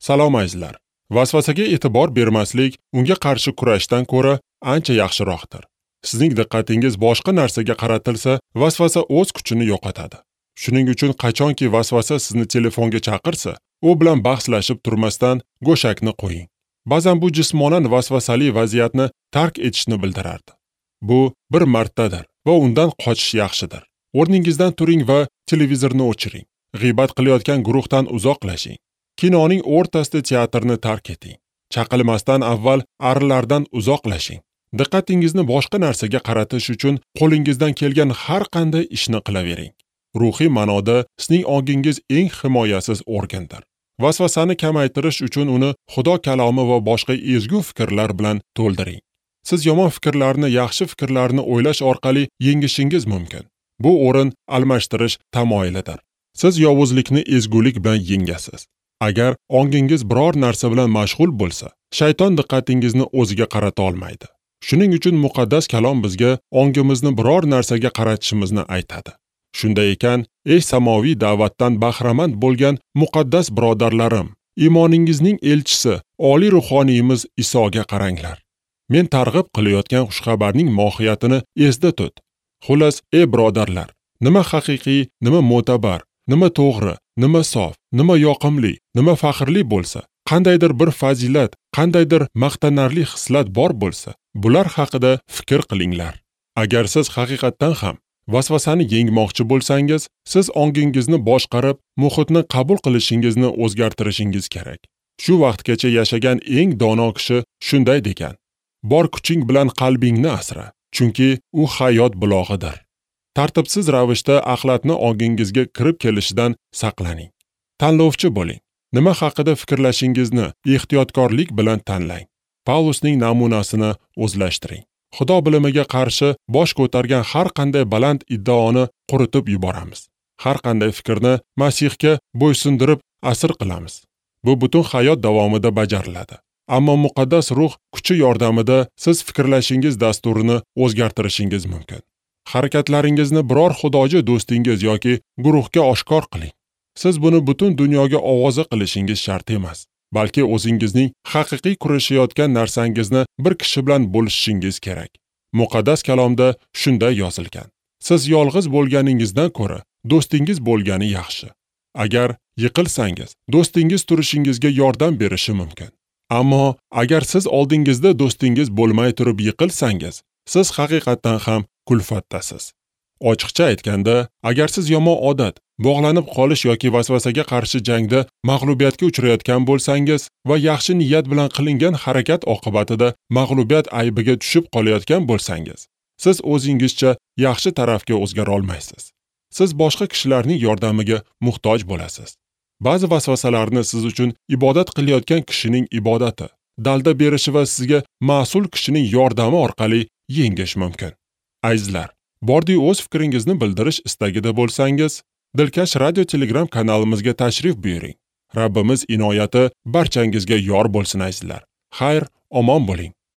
Salom azizlar. Vasvasaga e'tibor bermaslik unga qarshi kurashdan ko'ra ancha yaxshiroqdir. Sizning diqqatingiz boshqa narsaga qaratilsa, vasvasa o'z kuchini yo'qotadi. Shuning uchun qachonki vasvasa sizni telefonga chaqirsa, u bilan bahslashib turmasdan go'shakni qo'ying. Ba'zan bu jismonan vasvasali vaziyatni tark etishni bildirardi. Bu bir martadir va undan qochish yaxshidir. O'rningizdan turing va televizorni o'chiring. G'iybat qilayotgan guruhdan uzoqlashing. Kinoning o'rtasida teatrni tark eting. Chaqilmasdan avval arilardan uzoqlashing. Diqqatingizni boshqa narsaga qaratish uchun qo'lingizdan kelgan har qanday ishni qilavering. Ruhiy ma'noda sizning ongingiz eng himoyasiz organdir. Vasvasani kamaytirish uchun uni Xudo kalomi va boshqa ezgu fikrlar bilan to'ldiring. Siz yomon fikrlarni yaxshi fikrlarni o'ylash orqali yengishingiz mumkin. Bu o'rin almashtirish tamoyilidir. Siz yovuzlikni ezgulik bilan yengasiz. Agar ongingiz biror narsa bilan mashg'ul bo'lsa, shayton diqqatingizni o'ziga qarata olmaydi. Shuning uchun muqaddas kalom bizga ongimizni biror narsaga qaratishimizni aytadi. Shunday ekan, ey samoviy da'vatdan bahramand bo'lgan muqaddas birodarlarim, iymoningizning elchisi, oliy ruhoniyimiz Isoga qaranglar. Men targ'ib qilayotgan xushxabarning mohiyatini esda tut. Xullas, ey birodarlar, nima haqiqiy, nima mo'tabar, nima to'g'ri, nima sof, nima yoqimli, nima faxrli bo'lsa, qandaydir bir fazilat, qandaydir maqtanarli xislat bor bo'lsa, bular haqida fikr qilinglar. Agar siz haqiqatdan ham vasvasani yengmoqchi bo'lsangiz, siz ongingizni boshqarib, muhitni qabul qilishingizni o'zgartirishingiz kerak. Shu vaqtgacha yashagan eng dono kishi shunday degan: bor kuching bilan qalbingni asra, chunki u hayot bulog'idir. Tartibsiz ravishda axlatni ongingizga kirib kelishidan saqlaning. Tanlovchi bo'ling. Nima haqida fikrlashingizni ehtiyotkorlik bilan tanlang. Pavlusning namunasini o'zlashtiring. Xudo bilimiga qarshi bosh ko'targan har qanday baland iddaoni quritib yuboramiz. Har qanday fikrni Masihga bo'ysundirib asir qilamiz. Bu butun hayot davomida bajariladi. Ammo muqaddas ruh kuchi yordamida siz fikrlashingiz dasturini o'zgartirishingiz mumkin. Harakatlaringizni biror xudoji do'stingiz yoki guruhga oshkor qiling. Siz buni butun dunyoga ovoza qilishingiz shart emas, balki o'zingizning haqiqiy kurashayotgan narsangizni bir kishi bilan bo'lishishingiz kerak. Muqaddas kalomda shunday yozilgan: siz yolg'iz bo'lganingizdan ko'ra do'stingiz bo'lgani yaxshi. Agar yiqilsangiz, do'stingiz turishingizga yordam berishi mumkin. Ammo agar siz oldingizda do'stingiz bo'lmay turib yiqilsangiz, siz haqiqatdan ham kulfatdasiz. Ochiqcha aytganda, agar siz yomon odat, bog'lanib qolish yoki vasvasaga qarshi jangda mag'lubiyatga uchrayotgan bo'lsangiz va yaxshi niyat bilan qilingan harakat oqibatida mag'lubiyat aybiga tushib qolayotgan bo'lsangiz, siz o'zingizcha yaxshi tarafga o'zgara olmaysiz. Siz boshqa kishilarning yordamiga muhtoj bo'lasiz. Ba'zi vasvasalarni siz uchun ibodat qilayotgan kishining ibodati, dalda berishi va sizga mas'ul kishining yordami orqali yengish mumkin. Azizlar, bordi o'z fikringizni bildirish istagida bo'lsangiz, Dilkash radio Telegram kanalimizga tashrif buyuring. Rabbimiz inoyati barchangizga yor bo'lsin azizlar. Xayr, omon bo'ling.